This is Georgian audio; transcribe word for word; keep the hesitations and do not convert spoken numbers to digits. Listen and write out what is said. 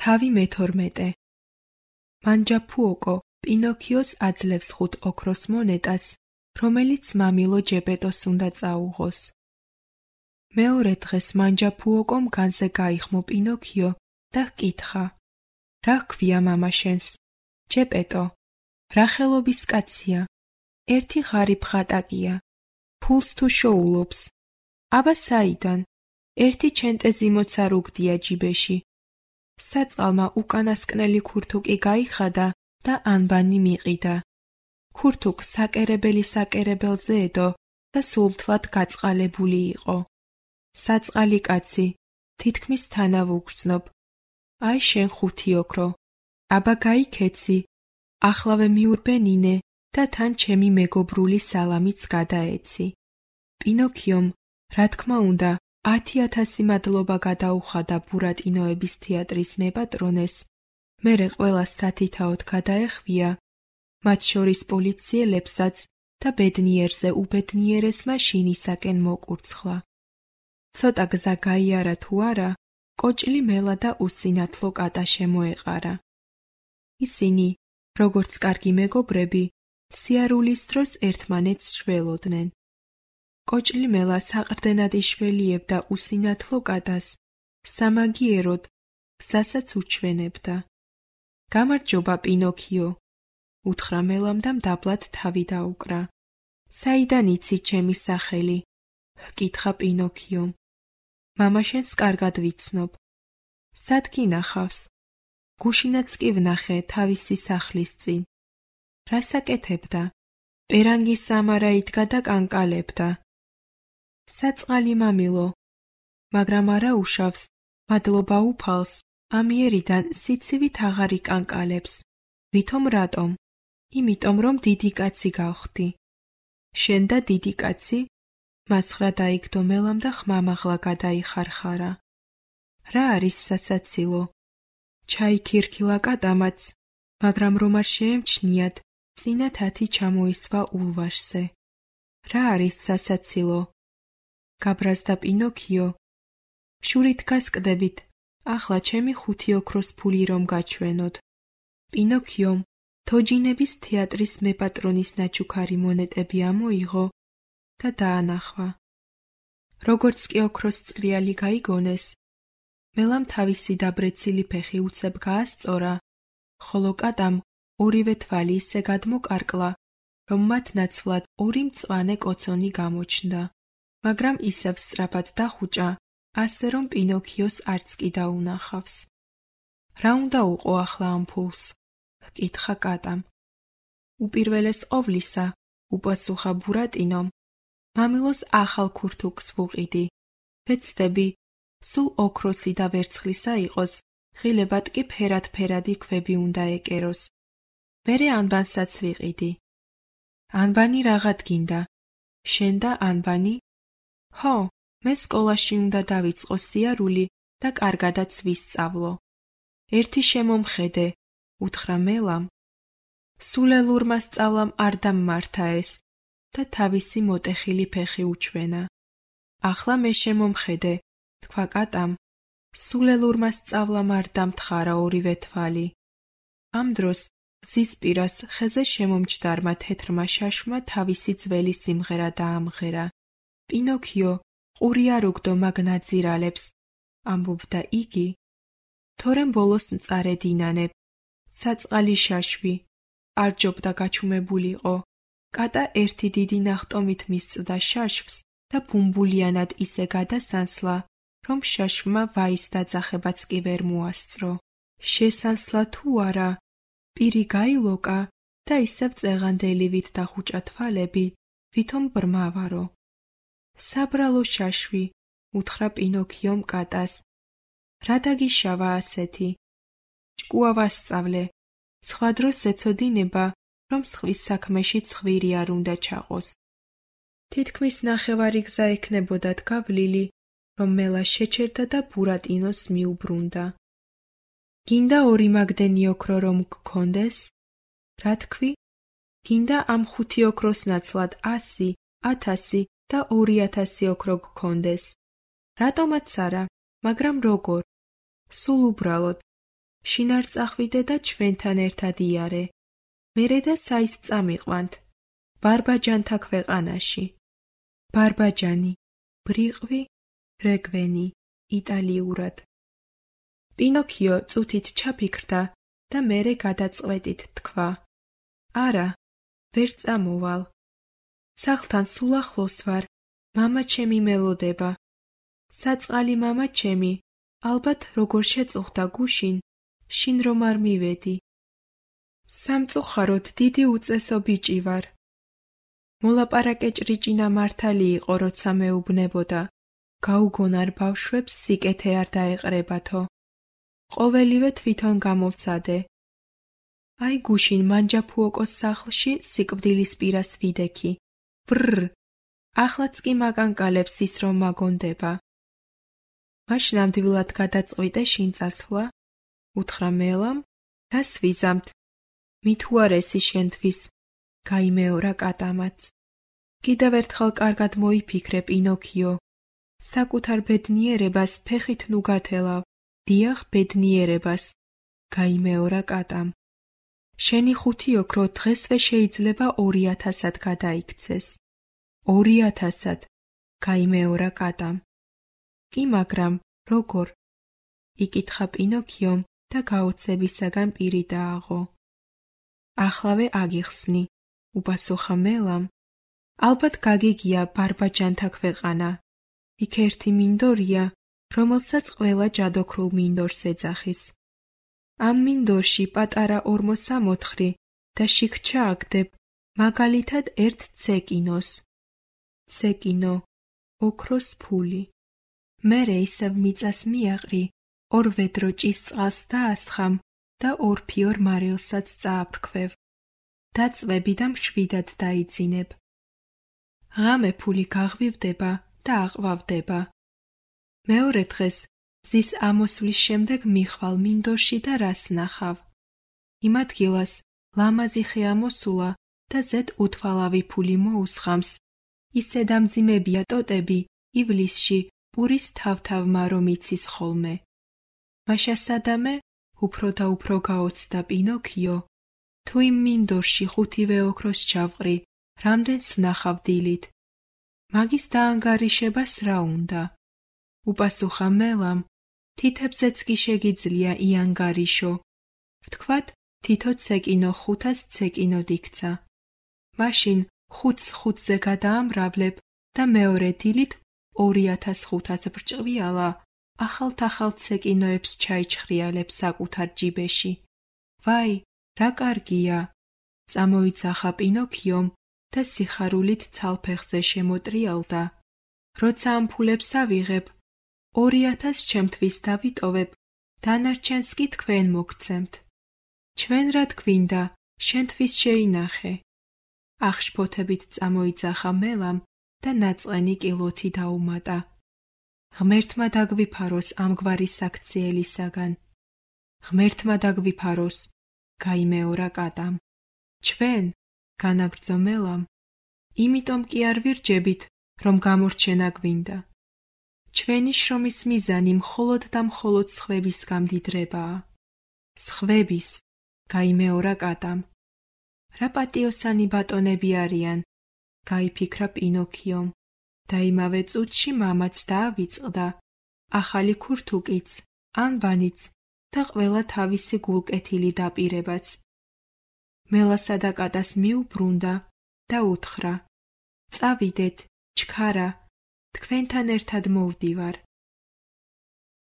თავი მეთორმეტე. მანჯაფუოკო პინოქიოს აძლევს ხუთ ოქროს მონეტას, რომელიც მამილო ჯეპეტოს უნდა წაუღოს. მეორე დღეს მანჯაფუოკომ განზე გაიხმო პინოქიო და ჰკითხა: რა ჰქვია მამა შენს? ჯეპეტო: რა ხელობის კაცია? ერთი ღარიბ ხატაკია. ფულს თუ შოულობს? აბა საიდან? ერთი ჩენტეზი მოცარ უგდია ჯიბეში. საწყალმა უკანასკნელი ქურთუკი გაიხადა და ანბანი მიყიდა. ქურთუკ საკერებელი საკერებელზე ედო და სულთლად გაწყალებული იყო. საწყალი კაცი, თითქმის თანა ვუგრძნობ. აი შენ ხუთი ოქრო. აბა გაიქეცი, ახლავე მიურბენინე და თან ჩემი მეგობრული სალამიც გადაეცი. პინოქიომ, რა თქმა უნდა, ათი ათასი მადლობა გადაუხადა ბურატინოების თეატრის მეპატრონეს, მერე ყველას სათითაოდ გადაეხვია, მათ შორის პოლიციელებსაც და ბედნიერზე უბედნიერესმა შინისაკენ მოკურცხლა. ცოტა გზა გაიარა თუ არა, კოჭლი მელა და უსინათლო კატა შემოეყარა. ისინი, როგორც კარგი მეგობრები, სიარულის დროს ერთმანეთს შველოდნენ. კოჭლი მელა საყრდენად იშველიებდა უსინათლო კატას, სამაგიეროდ გზასაც უჩვენებდა. გამარჯობა პინოქიო, უთხრა მელამ და მდაბლად თავი დაუკრა. საიდან იცი ჩემი სახელი? ჰკითხა პინოქიომ. მამა შენს კარგად ვიცნობ. სად გინახავს? გუშინაც კი ვნახე თავისი სახლის წინ. რას აკეთებდა? პერანგის სამარა იდგა და კანკალებდა. საწყალი მამილო, მაგრამ არა უშავს, მადლობა უფალს, ამიერიდან სიცივით აღარ იკანკალებს. ვითომ რატომ? იმიტომ რომ დიდი კაცი გავხდი. შენ და დიდი კაცი? მასხრა დაიგდო მელამ და ხმამაღლა გადაიხარხარა. რა არის სასაცილო? ჩაიქირქილა კატამაც, მაგრამ რომ არ შეემჩნიათ, წინა თათი ჩამოისვა ულვაშზე. რა არის სასაცილო? გაბრაზდა პინოქიო. შურით გასკდებით, ახლა ჩემი ხუთი ოქროს ფული რომ გაჩვენოთ. პინოქიომ თოჯინების თეატრის მეპატრონის ნაჩუქარი მონეტები ამოიღო და დაანახვა. როგორც კი ოქროს წრიალი გაიგონეს, მელამ თავისი დაბრეცილი ფეხი უცებ გაასწორა, ხოლო კატამ ორივე თვალი ისე გადმოკარკლა, რომ მათ ნაცვლად ორი მწვანე კოცონი გამოჩნდა, მაგრამ ისევ სწრაფად დახუჭა, ასე რომ პინოქიოს არც კი დაუნახავს. რა უნდა უყო ახლა ამ ფულს? ჰკითხა კატამ. უპირველეს ყოვლისა, უპასუხა ბურატინომ, მამილოს ახალ ქურთუკს ვუყიდი. ვეცდები, სულ ოქროსი და ვერცხლისა იყოს, ღილებად კი ფერად-ფერადი ქვები უნდა ეკეროს. მერე ანბანსაც ვიყიდი. ანბანი რაღად გინდა? შენ და ანბანი? ჰო, მე სკოლაში უნდა დავიწყო სიარული და კარგადაც ვისწავლო. ერთი შემომხედე, უთხრა მელამ. სულელურმა სწავლამ არ დამმართა ეს და თავისი მოტეხილი ფეხი უჩვენა. ახლა მე შემომხედე, თქვა კატამ. სულელურმა სწავლამ არ დამთხარა ორივე თვალი. ამ დროს გზის პირას ხეზე შემომჯდარმა თეთრმა შაშმა თავისი ძველი სიმღერა დაამღერა. პინოქიო, ყური არ უგდო მაგ ნაძირალებს, ამბობდა იგი. თორემ ბოლოს მწარედ ინანებ. საწყალი შაშვი, არ ჯობდა გაჩუმებულიყო. კატა ერთი დიდი ნახტომით მისწვდა შაშვს და ბუმბულიანად ისე გადასანსლა, რომ შაშვმა ვაის დაძახებაც კი ვერ მოასწრო. შესანსლა თუ არა, პირი გაილოკა და ისევ წეღანდელივით დახუჭა თვალები, ვითომ ბრმავარო. საბრალო შაშვი, უთხრა პინოქიომ კატას. რა დაგიშავა ასეთი? ჭკუა ვასწავლე, სხვა დროს ეცოდინება, რომ სხვის საქმეში ცხვირი არ უნდა ჩაყოს. თითქმის ნახევარი გზა ექნებოდათ გავლილი, რომ მელა შეჩერდა და ბურატინოს მიუბრუნდა. გინდა ორი მაგდენი ოქრო რომ გქონდეს? რა თქვი? გინდა ამ ხუთი ოქროს ნაცვლად ასი, ათასი და ორი ათასი ოქრო გქონდეს? რატომაც არა, მაგრამ როგორ? სულ უბრალოდ. შინ არ წახვიდე და ჩვენთან ერთად იარე. მერე და საის წამიყვანთ, ბარბაჯანთა ქვეყანაში. ბარბაჯანი, ბრიყვი, რეგვენი, იტალიურად. პინოქიო წუთით ჩაფიქრდა და მერე გადაწყვეტით თქვა. არა, ვერ წამოვალ. სახლთან სულ ახლოს ვარ, მამა ჩემი მელოდება. საწყალი მამა ჩემი, ალბათ როგორ შეწუხდა გუშინ, შინ რომ არ მივედი. სამწუხაროდ დიდი უწესო ბიჭი ვარ. მოლაპარაკე ჭრიჭინა მართალი იყო, როცა მეუბნებოდა. გაუგონარ ბავშვებს სიკეთე არ დაეყრებათო. ყოველივე თვითონ გამოვცადე. აი გუშინ მანჯაფუოკოს სახლში სიკვდილის პირას ვიდექი. ბრრ, ახლაც კი მაგანკალებს ის რომ მაგონდება. მაშინ ნამდვილად გადაწყვიტე შინ წასვლა? უთხრა მელამ, რას ვიზამთ? მით უარესი შენთვის, გაიმეორა კატამაც. კიდევ ერთხელ კარგად მოიფიქრე, პინოქიო. საკუთარ ბედნიერებას ფეხით ნუ გათელავ, დიახ ბედნიერებას, გაიმეორა კატამ. შენი ხუთი ოქრო დღესვე შეიძლება ორი ათასად გადაიქცეს. ორი ათასად, გაიმეორა კატამ. კი მაგრამ, როგორ? იკითხა პინოქიომ და გაოცებისაგან პირი დააღო. ახლავე აგიხსნი, უპასუხა მელამ. ალბათ გაგიგია ბარბაჯანთა ქვეყანა. იქ ერთი მინდორია, რომელსაც ყველა ჯადოქრულ მინდორს ეძახის. ამ მინდორში პატარა ორმოსამოთხრი და შიქჩა აგდებ, მაგალითად ერთ ცეკინოს. ცეკინო, ოქროს ფული. მერე ისევ მიწას მიაყრი, ორ ვედრო ჭისწყალს დაასხამ და ორ ფიორ მარილსაც წააფრქვევ. დაწვევი და მშვიდად დაიძინებ. ღამე ფული გაღვივდება და აყვავდება. მეორე დღეს მზის ამოსვლის შემდეგ მიხვალ მინდორში და რას ნახავ? იმ ადგილას ლამაზი ხე ამოსულა და ზედ უთვალავი ფული მოუსხამს. ისე დამძიმებია ტოტები ივლისში პურის თავთავმა რომ იცის ხოლმე. მაშა სადამე უფრო და უფრო გაოცდა პინოქიო. თუ იმ მინდორში ხუთივე ოქროს ჩავყრი, რამდენს ვნახავ დილით? მაგის დაანგარიშებას რა უნდა? უპასუხა მელამ, თითებზეც კი შეგიძლია იანგარიშო. ვთქვათ, თითო ცეკინო ხუთას ცეკინოდ იქცა. მაშინ ხუთს ხუთზე გადაამრავლებ და მეორე დილით ორი ათას ხუთას ბრჭყვიალა ახალ-ახალ ცეკინოებს ჩაიჩხრიალებ საკუთარ ჯიბეში. ვაი, რა კარგია! წამოიძახა პინოქიომ და სიხარულით ცალფეხზე შემოტრიალდა. როცა ამ ფულებს ავიღებ, ორი ათას ჩემთვის დავიტოვებ, დანარჩენს კი თქვენ მოგცემთ. ჩვენ რად გვინდა, შენთვის შეინახე. ახშფოთებით წამოიძახა მელამ და ნაწყენი კილოთი დაუმატა. ღმერთმა დაგვიფაროს ამგვარი საქციელისაგან. ღმერთმა დაგვიფაროს, გაიმეორა კატამ. ჩვენ, განაგრძო მელამ, იმიტომ კი არ ვირჯებით, რომ გამორჩენა გვინდა. ჩვენი შრომის მიზანი მხოლოდ და მხოლოდ სხვების გამდიდრებაა. სხვების, გაიმეორა კატამ. რა პატიოსანი ბატონები არიან, გაიფიქრა პინოქიომ და იმავე წუთში მამაც დაავიწყდა, ახალი ქურთუკიც, ანბანიც და ყველა თავისი გულკეთილი დაპირებაც. მელასა და კატას მიუბრუნდა და უთხრა: წავიდეთ, ჩქარა, თქვენთან ერთად მოვდივარ.